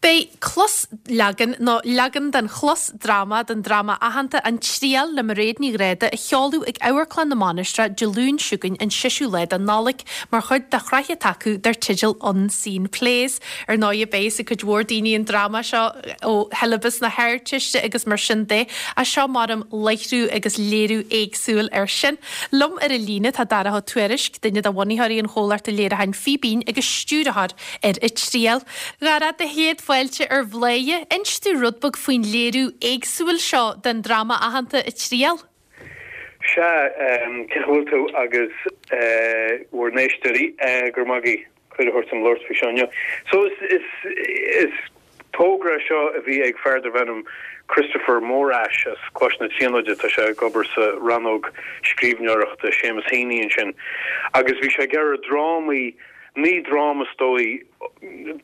Beidh closleagan, nó leagan den chlosdráma, den dráma aitheanta An Triail le Mairéad Ní Ghráda a sheoladh ag Amharclann na Mainistreach Dé Luain seo chugainn an seisiú lá de Nollaig mar chuid de shraith atá acu dar teideal Unseen Plays. Ar ndóighe beidh fhios ag cuid mhór daoine an dráma seo ó shiollabas na hArdteiste agus mar sin de, ach seo maram láithriú agus léiriú éagsúil air sin. Liom ar an líne tá Darach Ó Tuairisg, duine de bhunaitheoirí an chomhlachta léiriúcháin Fíbín agus stiúrthóir ar An Triail. A Dharach, do chéad fáilte ar Bhladhaire. Inis domh rud beag faoin léiriú éagsúil seo den dráma aitheanta An Triail. Sea, cén chaoi a bhfuil tú agus bhur n-éisteoirí? Go raibh maith agaibh cuireadh a thabhairt dom labhairt faoi seo inniu. So is togra é seo a bhí ag fear darbh ainm Christopher Morash as Coláiste na Tríonóide, tá sé ag obair sa rannóg scríbhneoireachta Seamus Heaney ansin, agus bhí sé ag iarraidh drámaí, 9 dráma is dóigh,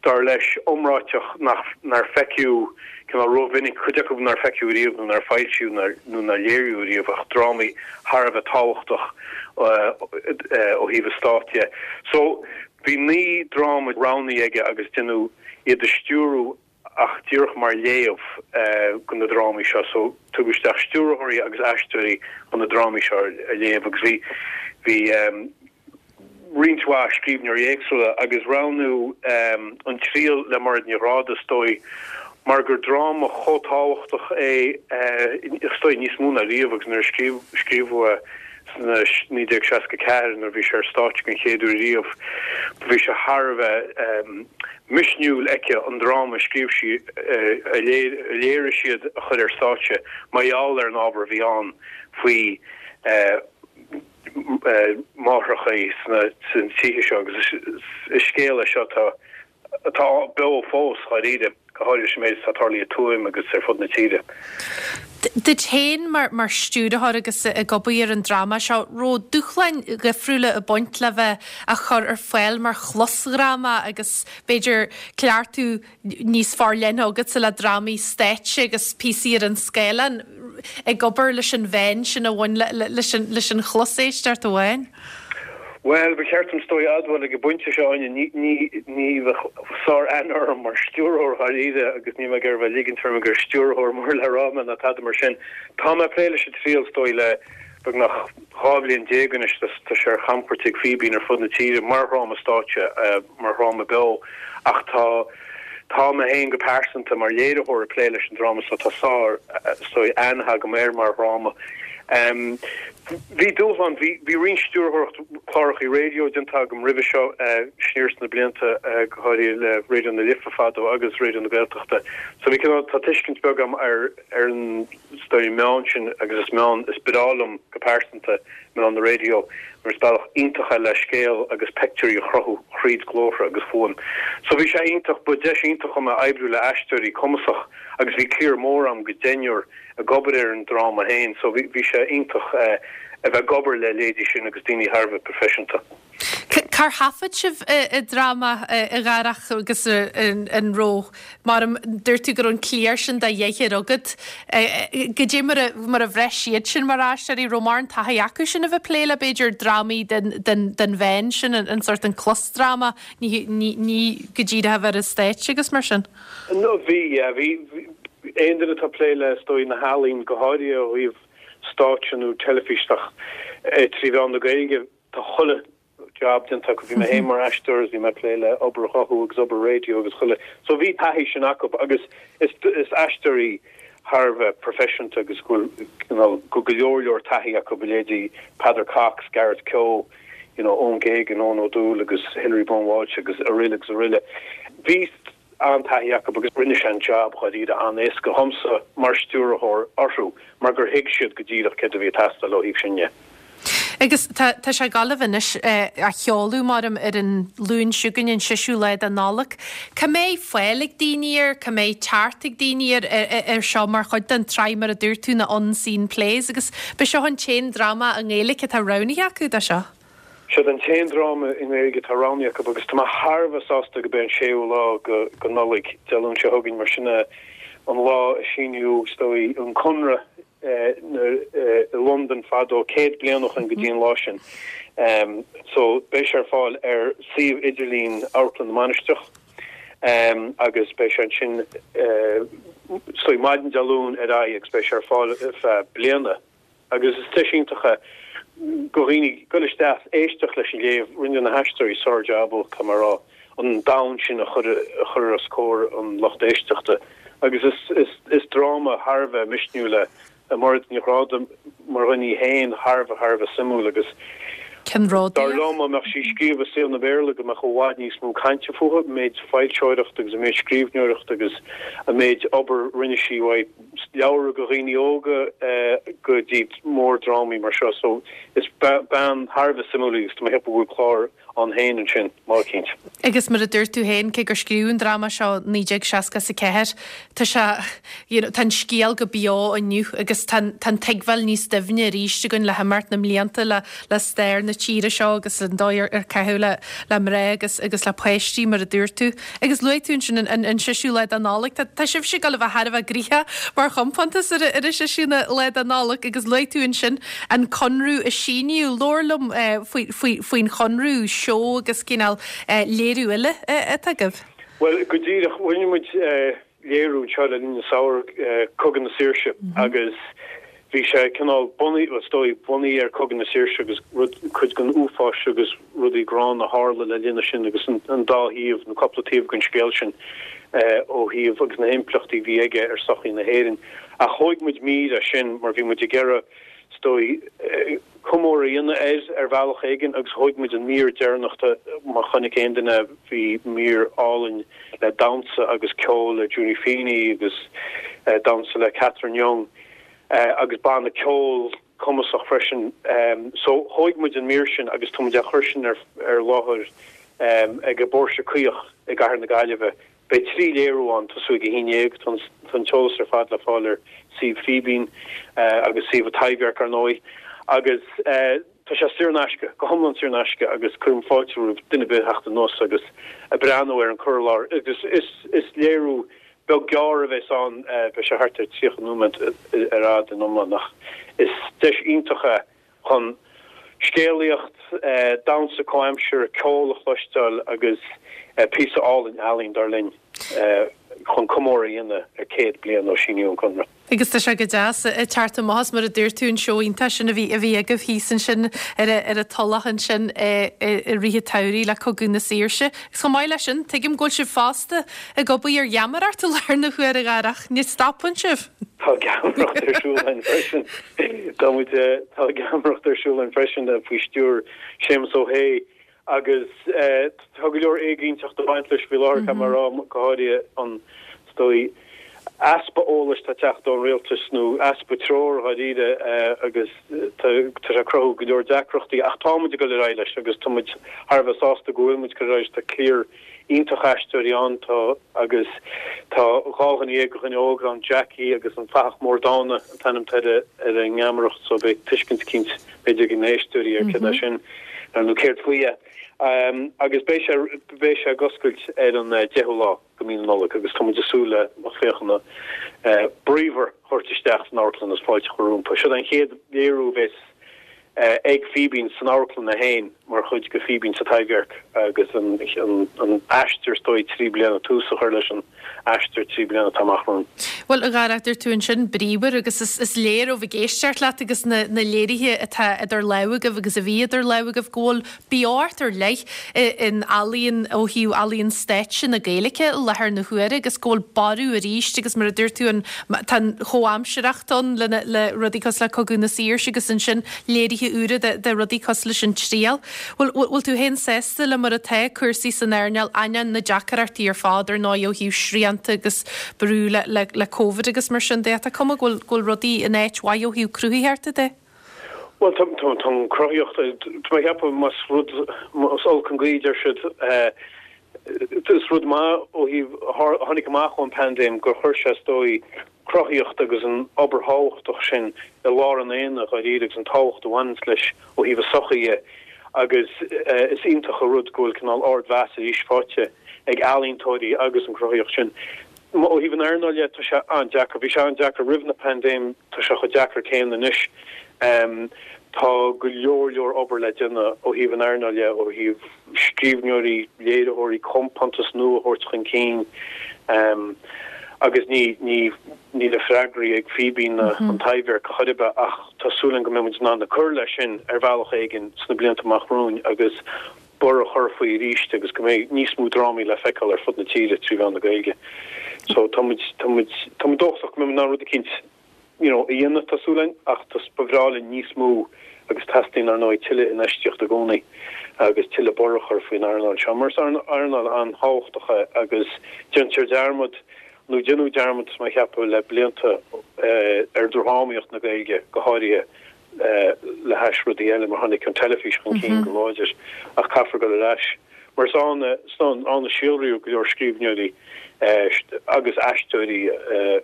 dar leis, iomráiteach nach, nár feiceadh cineál rómhinic, cuid acu nár feiceadh riamh nó nár foilsíodh nó nár léiríodh riamh ach drámaí thar a bheith tábhachtach ó thaobh an stáit dhe. So, bhí 9 dráma roghnaithe aige agus déanadh iad a stiúradh ach díreach mar léamh go na drámaí seo. So, tugadh isteach stiúrthóirí agus aisteoirí chun na drámaí seo a léamh agus bhí, bhí roinnt mhaith scríbhneoirí éagsúla agus roghnaíodh An Triail le Mairéad Ní Ghráda is dóigh mar gur dráma chomh tábhachtach é is dóigh níos mó ná riamh agus nuair a scríobhadh é sna 1964 nuair a bhí sé ar stáitse den chéad uair riamh bhí sé thar a bheith misniúil aici an dráma a scríobh sí a léirigh siad a chur ar stáitse mar gheall ar an ábhar a bhí ann faoi máithreacha sna tithe seo agus is scéal é seo atá atá beo fós, dháiríre, go háirithe leis an méid atá tarlaithe i Tuaim agus ar fud na tíre. Duit féin mar stiúrthóir agus ag obair ar an dráma seo, raibh dúshláin dhifriúla ag baint le bheith á chur ar fáil mar chlosdhráma agus b'fhéidir cleachtadh níos forleithne agatsa le drámaí stáitse agus píosaí ar an scáileán, ag obair leis an mheán sin a bhain leis an chloséisteacht amháin? Bhuel, ba cheart dom is dóigh a admháil ag an bpointe seo, Áine, ní, ní, ní bheadh sár-aithne orm mar stiúrthóir dháiríre agus níl mé ag iarraidh a bheith ag ligint orm gur stiúrthóir mór le rá mé ná tada mar sin. Tá mé ag plé leis an triail is dóigh le beagnach 12 bhliain anois, tá sé ar chamchuairt ag Fíbín ar fud na tíre mar dhráma stáitse, mar dhráma beo ach tá tá mé féin go pearsanta mar léiritheoir ag plé leis an dráma so tá sár is dóigh aithne agam air mar dhráma. Bhí dúshlán, bhí bhí roinnt stiúrthóireacht clárachaí raidió déanta agam roimhe seo siar sna blianta go háirithe le Raidió na Life fadó agus Raidió na Gaeltachta so bhí cineál tá tuiscint beag agam ar ar an is dóigh meán sin agus is meán is breá liom go pearsanta meán na raidió, mar is bealach iontach é le scéal agus peictiúirí a chruthú thríd glórtha agus fuaim. So bhí sé iontach, ba deis iontach dhom é oibriú le aisteoirí cumasach agus bhí cliar mór agam go deichniúr ag obair ar an dráma féin so bhí bhí sé iontach a bheith ag obair le leithéidí sin agus daoine thar a bheith proifisiúnta. Cár thaifead sibh an dráma, a Dharach, agus an raibh, mar a dúirt tú go raibh an cliar sin de dheichniúr agat, goidé mar a mar a bhraith siad sin mar aisteoirí, raibh mórán taithí acu sin a bheith ag plé le b'fhéidir drámaí den den den mheán sin, an sórt an closdráma, ní ní ní go díreach a bheith ar an stáitse agus mar sin. No bhí, yeah, bhí, aon duine atá ag plé le is dóigh na healaín go háirithe ó thaobh stáitse nó teilifís ach trí mheán na Gaeilge, Tá chuile jab déanta acu. Bhí mé féin mar aisteoir agus bhí mé ag plé le obair ghuthú agus obair raidió agus chuile. So bhí taithí sin acu agus is is aisteoirí thar a bheith proifisiúnta agus go bhfuil you know go go leor leor taithí acu a leithéidí Peadar Cox, Gareth Keogh, you know Eoin Geoghegan, Eoin O'Doul agus Hilary Byrne Walsh agus araile agus araile. Bhí an-taithí acu agus rinne sé an jab dháiríre an-éasca dhomsa mar stiúrthóir orthu mar gur thuig siad go díreach céard a bhí ag teastáil ó thaobh sin dhe. Agus tá tá sé ag gabháil a bheith anois á sheoladh maram ar an Luan seo chugainn, an seisiú lá de Nollaig. Cá mbeidh fáil ag daoine air, cá mbeidh teacht ag daoine air ar seo mar chuid den tsraith mar a dúirt tú na Unseen Plays agus b'é seo an t-aon dráma i nGaeilge atá roghnaithe acu do seo. Seod an t-aon dráma i nGaeilge atá roghnaithe acu agus tá mé thar a bheith sásta go b'é an séú lá go Nollaig, Dé Luain seo chugainn, mar sin é an lá a síníodh, is dóigh, an Conradh i Londain fadó, 100 bliain ó shoin go dtí an lá sin. So beidh sé ar fáil ar suíomh idirlín Amharclann na Mainistreach. Agus beidh sé ansin is dóigh maidin Dé Luain ar aghaidh agus beidh sé ar fáil ar feadh bliana. Agus is deis iontach é do dhaoine dul isteach is éisteacht leis an léamh. Rinne na haisteoirí sár-jab, caithfidh mé a rá, an domhan sin a chur a chur os comhair an lucht éisteachta. Agus is is is dráma thar a bheith misniúil é. Mairéad Ní Ghráda mar dhuine í féin thar a bheith thar a bheith suimiúil agus dar liom dá mbeadh sí ag scríobh i saol na Béarla go mbeadh i bhfad níos mó cainte fúithi, an méid foilseoireachta agus an méid scríbhneoireachta agus an méid obair rinne sí uaidh leabhra do dhaoine óga go dtí mórdrámaí mar seo so is bean thar a bheith suimiúil í agus tá mé ag ceapadh go bhfuil clár ann féin ansin, lá eicínt. Agus mar a dúirt tú féin, cé gur scríobhadh an dráma seo 1964, tá sé, you know, tá an scéal go beo inniu agus tá an, tá an tuigbheáil níos doimhne arís againn le himeacht na mblianta le, le stair na tíre seo agus an dóigh ar, ar caitheadh le, le mná agus, agus le páistí, mar a dúirt tú. Agus luaigh tú ansin an, an, an seisiú lá de Nollaig. Tá, tá sibhse ag dul a bheith thar a bheith gnoitheach mar chompántas ar, ar an seisiú lá de Nollaig agus luaigh tú ansin an conradh a síníodh. Labhair liom faoi, faoi, faoin chonradh, seó agus cineál léiriú eile atá agaibh. Bhuel, go díreach, rinne muid léiriú anseo le linn an samhradh, Cogadh na Saoirse, agus bhí sé cineál bunaithe, bhuel, is dóigh, bunaithe ar Cogadh na Saoirse agus rud, cuid den uafáis agus rudaí gránna a tharla le linn sin agus an dá thaobh, nó cúpla taobh den scéal sin ó thaobh agus na himpleachtaí a bhí aige ar sochaí na hÉireann. Ach thóig muid mír as sin mar bhí muid ag iarraidh, is dóigh, comóradh a dhéanamh air ar bhealach éigin agus thóig muid an mír deireanach de, má chonaic aon duine bhí mír álainn le damhsa agus ceol le Junie Feeney agus damhsa le Catherine Young agus banna ceoil cumasach freisin. So thóig muid an mír sin agus tá muid á chur sin ar láthair ag an bPóirse Caoch i gCathair na Gaillimhe. Beidh 3 léiriú ann, tosú ag 11. Tá an t-eolas ar fad le fáil ar suíomh Fíbín agus suíomh an Taibhdhearc, ar ndóigh. Agus tá sé saor in aisce, go hiomlán saor in aisce agus cuirim fáilte roimh duine ar bith theacht anuas agus a breathnú ar an cur i láthair. Agus is léiriú beag gearr a bheas ann, beidh sé thart ar 30 nóiméad ar fhad in iomlán ach is deis iontach é chun scéalaíocht, damhsa comhaimseartha, ceol a chloisteáil agus píosa álainn ealaín, dar linn, chun comóradh a dhéanamh ar 100 bliain ó síníodh an Conradh. Agus tá sé go deas ag teacht amach as, mar a dúirt tú, an seó iontach sin a bhí a bhí agaibh thíos ansin ar ar an Tulach ansin i rith an tsamhraidh le Cogadh na Saoirse. Agus chomh maith leis sin, tuigim go bhfuil sibh fosta ag obair ar gheamaireacht i láthair na huaire, a Dharach, ní stopann sibh! Tá geamaireacht ar siúl againn freisin. Tá muid, tá geamaireacht ar siúl againn freisin faoi stiúir Séamus Ó hAodha agus tá go leor éiginnteacht ag baint leis faoi láthair, caithfidh mé a rá, go háirithe an, is dóigh, easpa eolais atá ag teacht ón rialtas nó easpa treoir dháiríre agus tá sé ag cruthú go leor deacrachtaí ach tá muid ag dul ar aghaidh leis agus tá muid thar a bheith sásta go bhfuil muid ag cur ar aghaidh leis. Tá cliar iontach aisteoirí ann, tá agus tá 12 dhuine de dhaoine óga ann, Jackie agus an Fathach Mór Dána an t-ainm atá ar ar an ngeamaireacht so beidh tuiscint eicínt b'fhéidir ag na héisteoirí ar céard é sin nó céard faoi é. Agus beidh sé beidh sé ag oscailt ar an 10ú lá de mhí na Nollag agus tá muid ag súil le lucht féachana bríomhar a thabhairt isteach san amharclann agus fáilte a chur rompu. Seo an chéad léiriú a bheas ag Fíbín san amharclann é féin mar chuid de Fíbín sa Taibhdhearc agus an aistear is dóigh 3 bliana, tús a chur leis an aistear 3 bliana atá amach romhainn. Bhuel, a Dharach, dúirt tú ansin bríomhar agus is léir ó bheith ag éisteacht leat agus na léirithe atá idir lámha agaibh agus a bhí idir lámha agaibh go bhfuil beocht ar leith in ealaíon ó thaobh ealaíon stáitse na Gaeilge i láthair na huaire agus go bhfuil borradh arís agus mar a dúirt tú an tá an chomhaimsearthacht ann le le rudaí cosúil le Cogadh na Saoirse agus ansin léirithe úra de de rudaí cosúil leis an Triail. Bhfuil bhfuil tú féin sásta le mar atá cúrsaí san earnáil ainneoin na deacrachtaí ar fad ar ndóigh ó thaobh srianta agus brú le le le Covid agus mar sin de. Tá cuma go bhfuil go bhfuil rudaí in áit mhaith ó thaobh cruthaitheachta de. Bhuel, tá an chruthaíocht, tá mé ag ceapadh, más rud, más olc an ghaoth, deir siad, is rud maith ó thaobh, a tháinig amach ón bpaindéim gur chuir sé, is dóigh, cruthaíocht agus an obair thábhachtach sin i lár an aonaigh dháiríre agus an tábhacht a bhaineanns leis ó thaobh an sochaí dhe agus is iontach an rud go bhfuil cineál ardmheas arís faighte ag ealaíontóirí agus an chruthaíocht sin. Ó thaobh an earnáil dhe, tá sé an-deacair. Bhí sé an-deacair roimh na paindéim, tá sé chomh deacair céanna anois. Tá go leor leor obair le déanamh ó thaobh an earnáil dhe, ó thaobh scríbhneoirí, léiritheoirí, compántas nua a thabhairt chun cinn agus ní, ní, ní na freagraí ag Fíbín ná an Taibhdhearc chor ar bith ach tá súil againn go mbeidh muid in ann cur leis sin ar bhealach éigin sna blianta amach romhainn agus borradh a chur faoi arís agus go mbeidh níos mó drámaí le feiceáil ar fud na tíre trí mheán na Gaeilge. So tá muid, tá muid, tá muid dóchasach go mbeidh muid in ann rud eicínt you know, a dhéanamh, tá súil againn, ach tá, ba bhreá linn níos mó agus teastaíonn, ar ndóigh, tuilleadh infheistíochta i gcónaí agus tuilleadh borradh a chur faoin earnáil seo, mar is earnáil an-tábhachtach é agus déantar dearmad, nó déanadh dearmad, tá mé a cheapadh, le blianta ar dhrámaíocht na Gaeilge go háirithe le hais rudaí eile mar tháinig an teilifís chun cinn go láidir ach caithfear dul ar ais mar is ann ann a síolraíodh go leor scríbhneoirí agus aisteoirí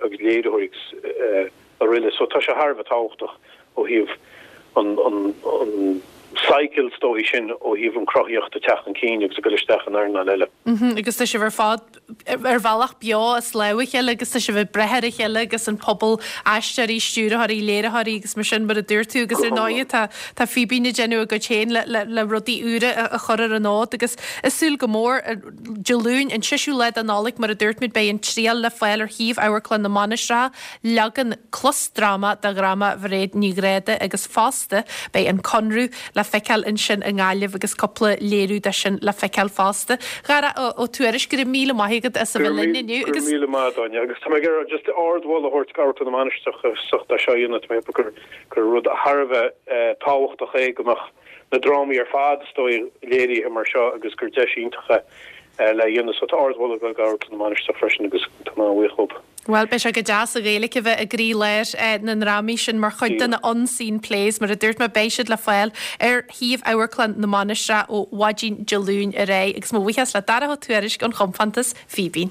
agus léiritheoirí agus araile so tá sé thar a bheith tábhachtach ó thaobh an an cycle is dóigh sin ó thaobh an cruthaíocht ag teacht chun cinn agus ag dul isteach in earnáil eile. Agus tá sibh ar fad ar bhealach beo as lámh a chéile agus tá sibh ag breith ar a chéile agus an pobal aisteoirí, stiúrthóirí, léiritheoirí agus mar sin mar a dúirt tú agus ar ndóigh tá tá Fíbín ag déanamh a gcuid féin le le le rudaí úra a chur ar an fhód agus ag súil go mór Dé Luain an seisiú lá de Nollaig mar a dúirt muid beidh an triail le fáil ar shuíomh Amharclann na Mainistreach leagan closdráma de dhráma Mhairéad Ní Ghráda agus fosta beidh an Conradh le feiceáil ansin i nGaillimh agus cúpla léiriú de sin le feiceáil fosta. Dara Ó Tuairisg, go raibh míle maith agat as a bheith linn inniu agus. Go raibh míle maith agat, Áine. Agus tá mé ag iarraidh just ardmholadh a thabhairt d'Amharclann na Mainistreach as ucht é seo a dhéanamh. Tá mé ag ceapadh gur rud thar a bheith tábhachtach é go mbeadh na drámaí ar fad is dóigh léirithe mar seo agus gur deis iontach é le dhéanamh. So tá ardmholadh ag dul d'Amharclann na Mainistreach freisin agus tá mé an-bhuíoch dhóibh. Bhuel, beidh sé go deas an Ghaeilge a bheith i gcroí-lár na ndrámaí sin mar chuid de na Unseen Plays, mar a dúirt mé, beidh siad le fáil ar shuíomh Amharclann na Mainistreach ó mhaidin Dé Luain ar aghaidh. Agus mo bhuíochas le Darach Ó Tuairisg ón chompántas Fíbín.